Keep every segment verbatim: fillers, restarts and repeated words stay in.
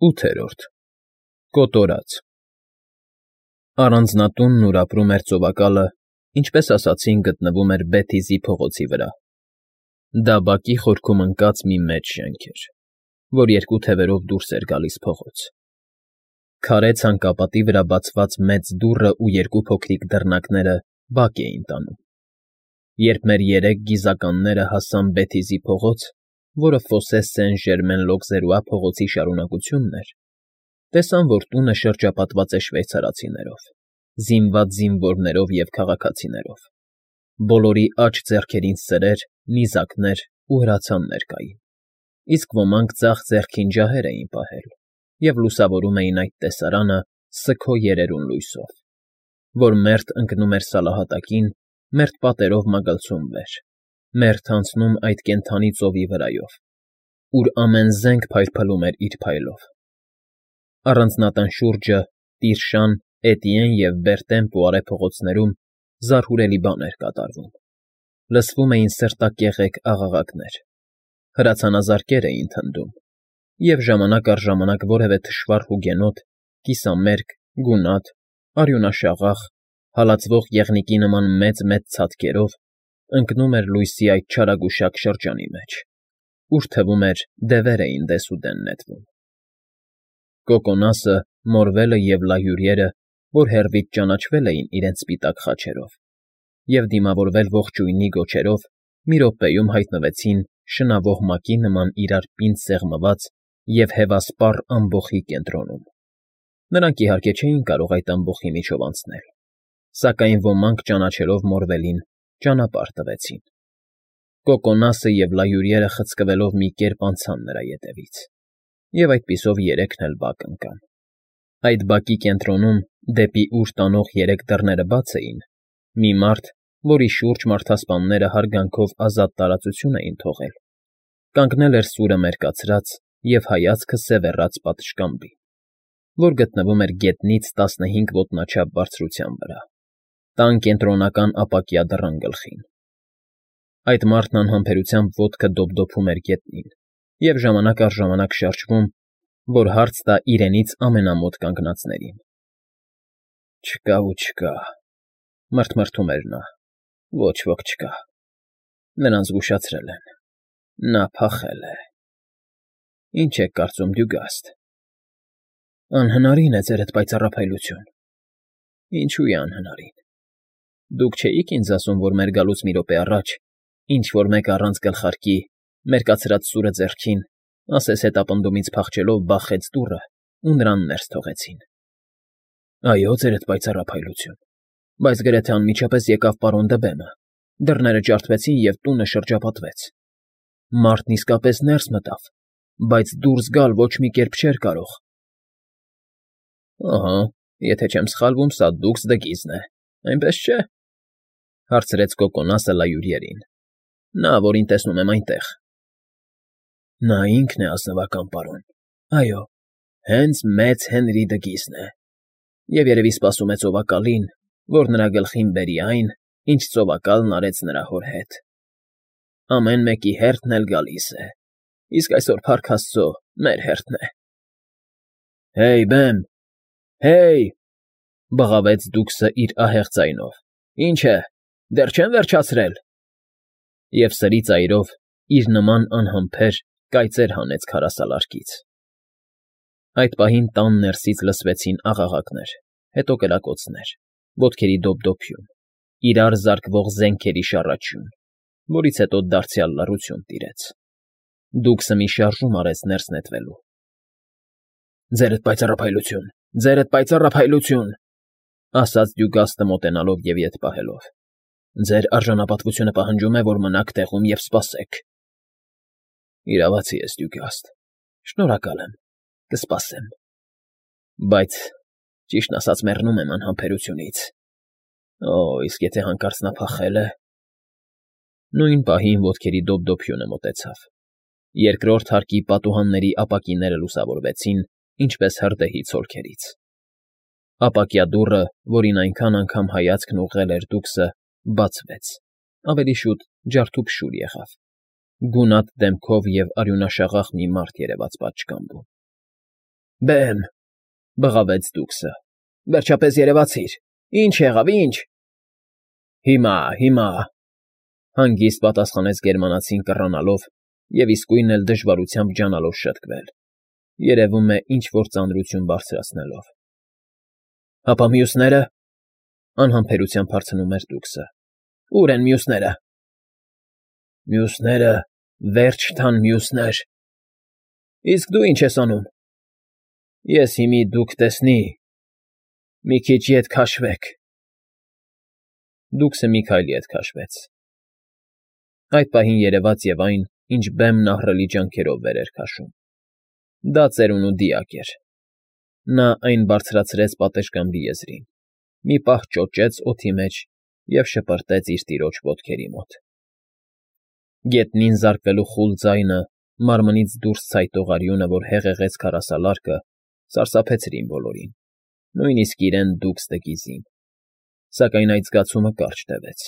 ՈՒԹԵՐՈՐԴ ԿՈՏՈՐԱԾ Առանձնատունն, ուր ապրում էր ծովակալը, ինչպես ասացինք, գտնվում էր Բեթիզի փողոցի վրա. դա բակի խորքում ընկած մի մեծ շենք էր, որ երկու թևերով դուրս էր գալիս փողոց. քարե ցանկապատի վրա բացված մեծ դուռն ու երկու փոքրիկ դռնակները բակ էին տանում։ Երբ մեր երեք գիզականները հասան Բեթիզի փողոց, որը Ֆոսե Սեն֊Ժերմեն֊Լոկզերուա փողոցի շարունակությունն էր, տեսան, որ տունը շրջապատված է շվեյցարացիներով, զինված զինվորներով և քաղաքացիներով. բոլորի աջ ձեռքերին սրեր, նիզակներ ու հրացաններ կային, իսկ ոմանք ձախ ձեռքին ջահեր էին պահել և լուսավորում էին այդ տեսարանը սգո երերուն լույսով, որ մերթ ընկնում էր սալահատակին, մերթ պատերով մագլցում վեր, մերթ անցնում այդ կենդանի ծովի վրայով, ուր ամեն զենք փայլփլում էր իր փայլով։ Առանձնատան շուրջը, Տիրշան, Էտիեն և Բերտեն Պուարե փողոցներում զարհուրելի բան էր կատարվում. լսվում էին սրտակեղեք աղաղակներ, հրացանազարկեր էին թնդում, և ժամանակ առ ժամանակ որևէ թշվառ հուգենոտ, կիսամերկ, գունատ, արյունաշաղախ, հալածվող եղնիկի նման մեծ֊մեծ ցատկերով ընկնում էր լույսի այդ չարագուշակ շրջանի մեջ, ուր թվում էր դևեր էին դեսուդեն նետվում։ Կոկոնասը, Մորվելը և Լայուրիերը, որ հեռվից ճանաչվել էին իրենց սպիտակ խաչերով և դիմավորվել ողջույնի գոչերով, մի րոպեում հայտնվեցին շնավող մակի նման իրար պինդ սեղմված և հևասպառ ամբոխի կենտրոնում։ Նրանք, իհարկե, չէին կարող այդ ամբոխի միջով անցնել, սակայն ոմանք, ճանաչելով Մորվելին, ճանապարհ տվեցին։ Կոկոնասը և Լայուրիերը խցկվելով մի կերպ անցան նրա ետևից, և այդպիսով երեքն էլ բակ ընկան։ Այդ բակի կենտրոնում, դեպի ուր տանող երեք դռները բաց էին, մի մարդ, որի շուրջ մարդասպանները հարգանքով ազատ տարածություն էին թողել, կանգնել էր սուրը մերկացրած և հայացքը սևեռած պատշգամբի, որ գտնվում էր գետնից տասնհինգ ոտնաչափ բարձրության վրա, տան կենտրոնական ապակյա դռան գլխին։ Այդ մարդն անհամբերությամբ ոտքը դոպդոփում էր գետնին և ժամանակ առ ժամանակ շարժվում, որ հարց տա իրենից ամենամոտ կանգնածներին։ Չկա ու չկա, մռթմռթում էր նա, ոչ ոք չկա, նրան զգուշացրել են, նա փախել է։ Ինչ եք կարծում, Դյուգաստ։ Անհնարին է, ձերդ պայծառափայլություն։ Ինչո՞ւ է անհնարին։ Դուք չէիք ինձ ասում, որ մեր գալուց մի րոպե առաջ ինչ֊որ մեկը առանց գլխարկի, մերկացրած սուրը ձեռքին, ասես հետապնդումից փախչելով բախեց դուռն ու նրան ներս թողեցին։ Այո, ձերդ պայծառափայլություն, բայց գրեթե անմիջապես եկավ պարոն Դըբենը, դռները ջարդվեցին, և տունը շրջապատվեց։ Մարդն իսկապես ներս մտավ, բայց դուրս գալ ոչ մի կերպ չէր կարող։ Ահա, եթե չեմ սխալվում, սա Դուքս Դգիզն է, այնպես չէ՞, հարցրեց Կոկոնասը Լայուրիերին, նա, որին տեսնում եմ այնտեղ։ Նա ինքն է, ազնվական պարոն, այո, հենց մեծ Հենրի Դգիզն է, և երևի սպասում է ծովակալին, որ նրա գլխին բերի այն, ինչ ծովակալն արեց նրա հոր հետ։ Ամեն մեկի հերթն էլ գալիս է, իսկ այսօր, փառք աստծո, մեր հերթն է։ Հեյ, բեմ, հեյ,֊ բղավեց Դուքսը իր ահեղ ձայնով,֊ ինչ է, դեռ չեմ վերջացրել։ Եվ սրի ծայրով իր նման անհամբեր կայծեր հանեց քարասալարկից։ Այդ պահին տան ներսից լսվեցին աղաղակներ, հետո կրակոցներ, ոտքերի դոպդոփյուն, իրար զարկվող զենքերի շառաչյուն, որից հետո դարձյալ լռություն տիրեց։ Դուքսը մի շարժում արեց ներս նետվելու։ Ձերդ պայծառափայլություն, ձերդ պայծառափայլություն,֊ ասաց Դյուգաստը մոտենալով և ետ պահելով։ Ձեր արժանապատվությունը պահանջում է, որ մնաք տեղում և սպասեք։ Իրավացի ես, Դյուգաստ, շնորհակալ եմ, կսպասեմ, բայց, ճիշտն ասած, մեռնում եմ անհամբերությունից։ Օ, իսկ եթե հանկարծ նա փախել է… Նույն պահին ոտքերի դոպդոփյունը մոտեցավ, երկրորդ հարկի պատուհանների ապակիները լուսավորվեցին, ինչպես հրդեհի ցոլքերից։ Ապակյա դուռը, որին այնքան անգամ հայացքն ուղղել էր Դուքսը, բացվեց, ավելի շուտ ջարդուփշուր եղավ, գունատ դեմքով և արյունաշաղախ մի մարդ երևաց պատշգամբում։ Բեմ, բղավեց Դուքսը։ Վերջապես երևացիր։ Ինչ եղավ, ինչ։ Հիմա, հիմա, հանգիստ պատասխանեց գերմանացին կռանալով և իսկույն էլ դժվարությամբ ջանալով շտկվել, երևում է ինչ֊որ ծանրություն բարձրացնելով։ Հապա մյուսնե՞րը, անհամբերությամբ հարցնում էր Դուքսը։ Ո՞ւր են մյուսները։ Մյուսները, վերջ տան մյուսներ։ Իսկ դու ինչ ես անում։ Ես հիմի դուք տեսնի, մի քիչ ետ քաշվեք։ Դուքսը մի քայլ ետ քաշվեց։ Այդ պահին երևաց և այն, ինչ բեմն ահռելի ջանքերով վեր էր քաշում։ Դա ծերունու դիակ էր։ Նա այն բարձրացրեց պատշգամբի եզրին, մի պահ ճոճեց օդի մեջ և շպրտեց իր տիրոջ ոտքերի մոտ։ Գետնին զարկվելու խուլ ձայնը, մարմնից դուրս ցայտող արյունը, որ հեղեղեց քարասալարկը, սարսափեցրին բոլորին, նույնիսկ իրեն Դուքս դը Գիզին, սակայն այդ զգացումը կարճ տևեց։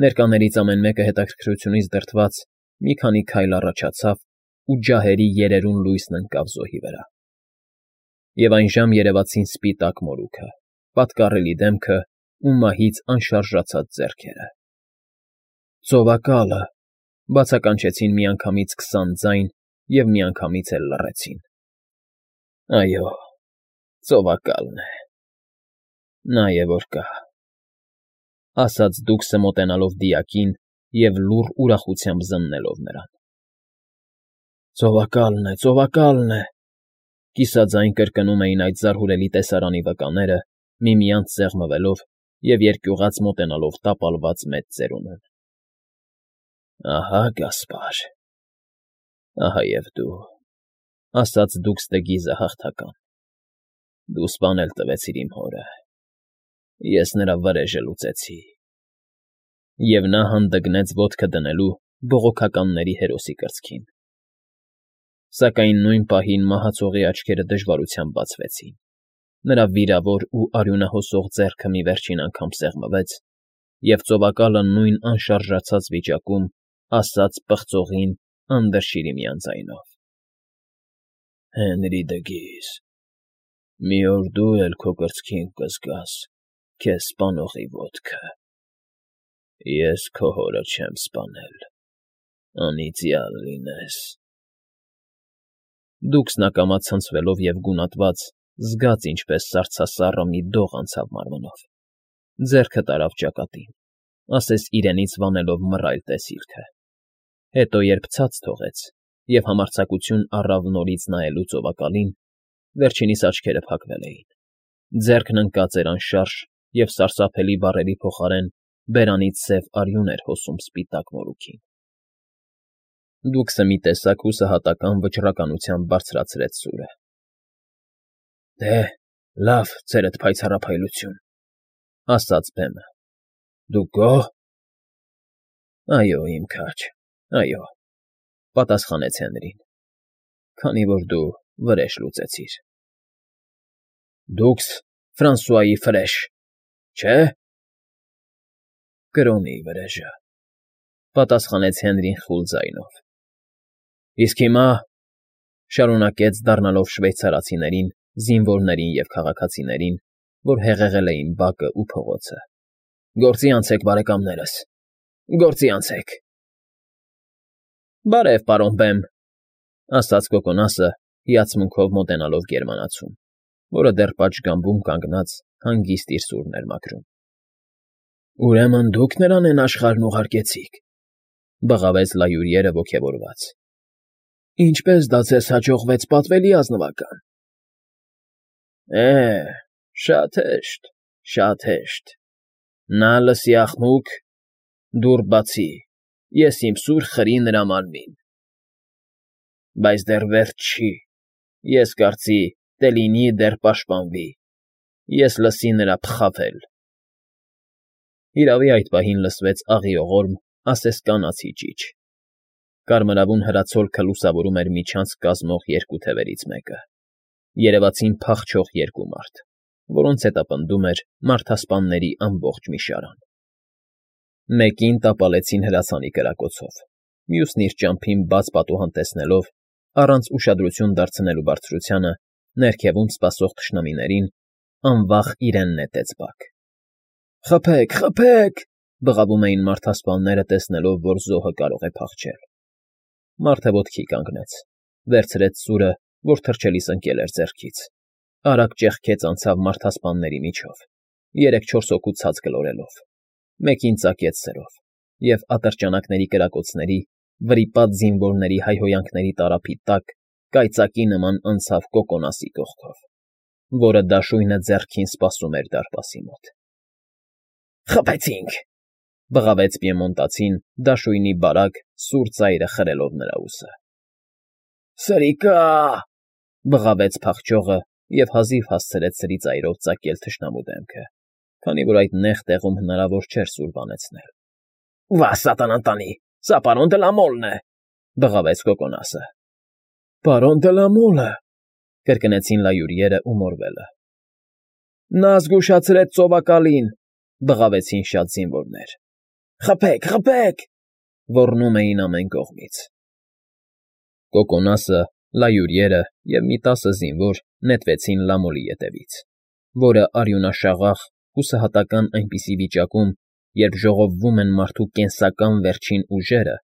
Ներկաներից ամեն մեկը հետաքրքրությունից դրդված մի քանի քայլ առաջացավ ու ջահերի երերուն լույսն ընկավ զոհի վրա։ Եվ այնժամ երևացին սպիտակ մորուքը, պատկառելի դեմքը ու մահից անշարժացած ձեռքերը։ Ծովակալը, բացականչեցին միանգամից քսան ձայն և միանգամից էլ լռեցին։ Այո, ծովակալն է։ Նա է որ կա, ասաց Դուքսը մոտենալով դիակին և լուռ ուրախությամբ զննելով նրան։ Ծովակալն է, ծովակալն է, կիսաձայն կրկնում էին այդ զարհուրելի տեսարանի վկաները, միմյանց սեղմվելով և երկյուղած մոտենալով տապալված մեծ ծերունուն։ Ահա գասպար, ահա և դու, ասաց Դուքս դը Գիզը հաղթական։ Դու սպանել տվեցիր իմ հորը, ես նրա վրեժը լուծեցի։ Եվ նա հանդգնեց ոտքը դնելու բողոքականների հերոսի կրծքին։ Սակայն նույն պահին մահացողի աչքերը դժվարությամբ բացվեցին, նրա վիրավոր ու արյունահոսող ձեռքը մի վերջին անգամ սեղմվեց, և ծովակալը նույն անշարժացած վիճակում ասաց պղծողին անդրշիրիմյան ձայնով. Հենրի դը Գիզ, մի օր դու էլ քո կրծքին կզգաս քեզ սպանողի ոտքը։ Ես քո հորը չեմ սպանել, անիծյալ լինես։ Դուքսն ակամա ցնցվելով և գունատված, զգաց ինչպես սառցասառը մի դող անցավ մարմնով, ձեռքը տարավ ճակատին, ասես իրենից վանելով մռայլ տեսիլքը, հետո երբ ցած թողեց և համարձակություն առավ նորից նայելու ծովակալին, վերջինիս աչքերը փակվել էին, ձեռքն ընկած էր անշարժ և սարսափելի բառերի փոխարեն բերանից սև արյուն էր հոսում սպիտակ մորուքին։ Դուքսը մի տեսակ հուսահատական վճռականությամբ բարձրացրեց սուրը։ Դե, լավ, ձերդ փայծառափայլություն, ասաց բեմը։ Դու գոհ։ Այո, իմ քաջ, այո, պատասխանեց Հենրին, քանի որ դու վրեժ լուծեցիր։ Դուքս Ֆրանսուայի վրեժ, չէ՞։ Կրոնի վրեժը, պատասխանեց Հենրին խուլ ձայնով։ Իսկ հիմա, շարունակեց դառնալով շվեյցարացիներին, զինվորներին և քաղաքացիներին, որ հեղեղել էին բակը ու փողոցը, գործի անցեք, բարեկամներս, գործի անցեք։ Բարև, պարոն Բեմ, ասաց Կոկոնասը, հիացմունքով մոտենալով գերմանացուն, որը դեռ պատշգամբում կանգնած հանգիստ իր սուրն էր մաքրում։ Ուրեմն դուք նրան էն աշխարհն ուղարկեցիք, բղավեց լայուրիերը ոգևորված։ Ինչպես դա ձեզ հաջողվեց, պատվելի ազնվական։ Է, շատ հեշտ, շատ հեշտ։ Նա լսի աղմուկ, դուռ բացի, ես իմ սուր խրի նրա մարմին։ Բայց դեռ վերջ չի, ես կարծի Տելինի դեռ պաշտպանվի, ես լսի նրա փխավել։ Իրավի այդ պահին լսվեց աղիողորմ, ասես կանացի ճիչ։ Կարմրավուն հրացոլքը լուսավորում էր միջանցք կազմող երկու թևերից մեկը, երևացին փախչող երկու մարդ, որոնց հետապնդում էր մարդասպանների ամբողջ մի շարան։ Մեկին տապալեցին հրացանի կրակոցով, մյուսն իր ճամփին բաց պատուհան տեսնելով, առանց ուշադրություն դարձնելու բարձրությանը, Ներքևում սպասող թշնամիներին անվախ իրեն նետեց բակ։ «Խփեք, խփեք», բղավում էին մարդասպանները, տեսնելով, որ զոհը կարող է փախչել։ Մարդը ոտքի կանգնեց, վերցրեց սուրը, որ թռչելիս ընկել էր ձեռքից, արագ ճեղքեց անցավ մարդասպանների միջով, երեք-չորս հոգու ցած գլորելով, մեկին ծակեց սրով, և ատրճանակների կրակոցների, վրիպած զինվորների հայհոյանքների տարափի տակ կայծակի նման անցավ Կոկոնասի կողքով, որը դաշույնը ձեռքին սպասում էր դարպասի մոտ։ «Խփեցինք», բղավեց պիեմոնտացին դաշույնի բարակ, սուր ծայրը խրելով նրա ուսը։ «Սրիկա՜», բղավեց փախչողը և հազիվ հասցրեց սրի ծայրով ծակել թշնամու դեմքը, քանի որ այդ նեղ տեղում հնարավոր չէր սուր բանեցնել։ «Վա սատանան տանի, սա պարոն դը լա Մոլն է», բղավեց Կոկոնասը։ «Պարոն դը լա Մոլը», կրկնեցին լայուրիերը ու մորվելը։ «Նա զգուշացրեց ծովակալին», բղավեցին շատ զինվորներ։ «Խփեք, խփեք», ոռնում էին ամեն կողմից։ Կոկոնասը, լայուրիերը և մի տասը զինվոր նետվեցին Լամոլի ետևից, որը արյունաշաղախ, հուսահատական այնպիսի վիճակում, երբ ժողովվում են մարդու կենսական վերջին ուժերը,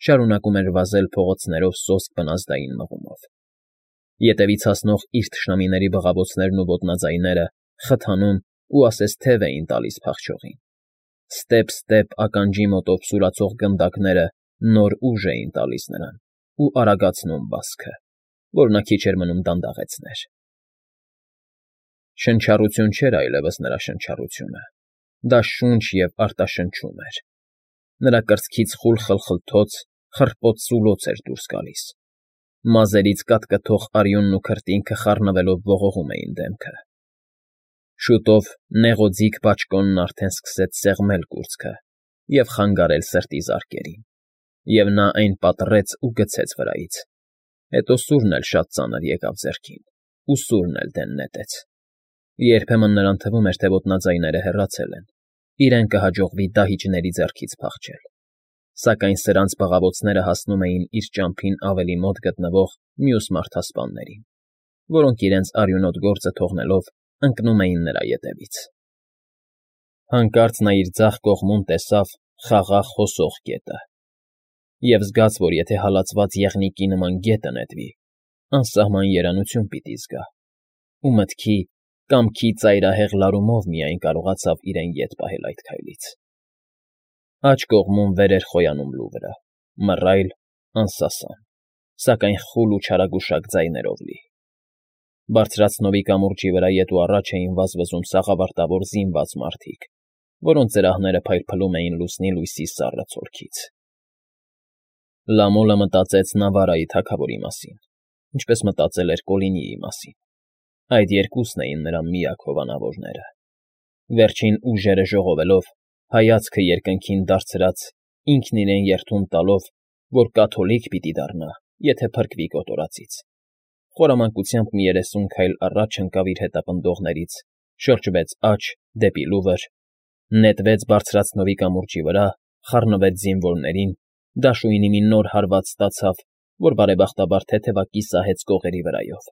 շարունակում էր վազել փողոցներով սոսկ բնազդային մղումով։ Ետևից հասնող իր թշնամիների բղավոցներն ու ոտնաձայները խթանում ու ասես թև էին տալիս փախչողին։ Ստեպ-ստեպ ականջի մոտով սուրացող գնդակները նոր ուժ էին տալիս նրան ու արագացնում վազքը, որ նա քիչ էր մնում դանդաղեցներ։ Շնչառություն չէր այլևս նրա շնչառությունը, դա շունչ և արտաշնչում էր։ Նրա կրծքից խուլ խլխլթոց, խռպոտ սուլոց էր դուրս գալիս։ Մազերից կատկթող արյունն ու քրտինքը խառնվելով ողողում էին դեմքը։ Շուտով նեղոձիգ բաճկոնն արդեն սկսեց սեղմել կուրծքը և խանգարել սրտի զարկերին, և նա այն պատռեց ու գցեց վրայից, հետո սուրն էլ շատ ծանր եկավ ձեռքին, ու սուրն էլ դեն նետեց։ Երբեմն նրան թվում էր, թե ոտնաձայները հեռացել են, իրեն կհաջողվի դահիճների ձեռքից փախչել, սակայն սրանց բղավոցները հասնում էին իր ճամփին ավելի մոտ գտնվող մյուս մարդասպաններին, որոնք իրենց արյունոտ գործը թողնելով ընկնում էին նրա ետևից։ Հանկարծ նա իր ձախ կողմում տեսավ խաղաղ հոսող գետը, և զգաց, որ եթե հալածված եղնիկի նման գետը նետվի, անսահման երանություն պիտի զգա, ու մտքի, կամքի ծայրահեղ լարումով միայն կարողացավ իրեն ետ պահել այդ քայլից։ Աջ կողմում վեր էր խոյանում լուվրը, մռայլ, անսասան, սակայն խուլ ու չարագուշակ ձայներով լի։ Բարձրացնովի կամուրջի վրա ետ ու առաջ էին վազվզում սաղավարտավոր զինված մարդիկ, որոնց զրահները փայլփլում էին լուսնի լույսի սառը ցորքից։ Լամոլը մտածեց Նավարայի թագավորի մասին, ինչպես մտածել էր Կոլինիի մասին։ Այդ երկուսն էին նրա միակ հովանավորները։ Վերջին ուժերը ժողովելով, հայացքը երկնքին դարձրած, ինքն իրեն երդում տալով, որ կաթոլիկ պիտի դառնա, եթե փրկվի կոտորածից, խորամանկությամբ մի երեսուն քայլ առաջ ընկավ իր հետապնդողներից, շրջվեց աջ, դեպի լուվր, նետվեց բարձրացնովի կամուրջի վրա, խառնվեց զինվորներին, դաշույնի մի նոր հարված ստացավ, որ բարեբախտաբար թեթևակի սահեց կողերի վրայով,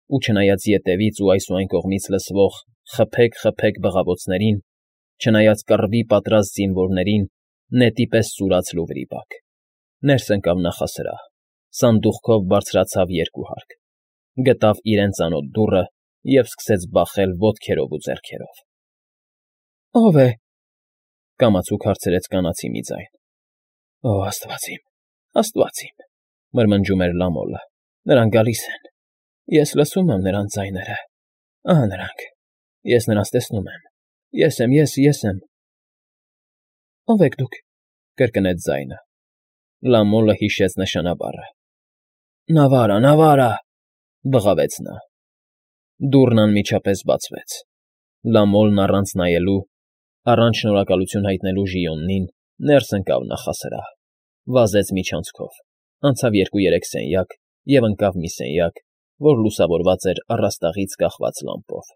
ու չնայած ետևից ու այս ու այն կողմից լսվող «խփեք, խփեք» բղավոցներին, չնայած կռվի պատրաստ զինվորներին, նետի պես սուրաց լուվրի բակ, ներս ընկավ նախասրահ, սանդուղքով բարձրացավ երկու հարկ, գտավ իրեն ծանոթ դուռը և սկսեց բախել ոտքերով ու ձեռքերով։ «Ո՞վ է», կամացուկ հարցրեց կանացի մի ձայն։ «Օ, աստված իմ, աստված իմ», մրմնջում էր Լամոլը, «նրանք գալիս են, ես լսում եմ նրանց ձայները, ահա նրանք, ես նրանց տեսնում եմ, ես եմ, ես, ես եմ»։ «Ո՞վ եք դուք», կրկնեց ձայնը։ Լամոլը հիշեց նշանաբառը։ «Նավարա, Նավարա», բղավեց նա։ Դուռն անմիջապես բացվեց։ Լամոլն առանց նայելու, առանց շնորհակալություն հայտնելու Ժիոնին, ներս ընկավ նախասրահ, վազեց միջանցքով, անցավ երկու֊երեք սենյակ և ընկավ մի սենյակ, որ լուսավորված էր առաստաղից կախված լամպով։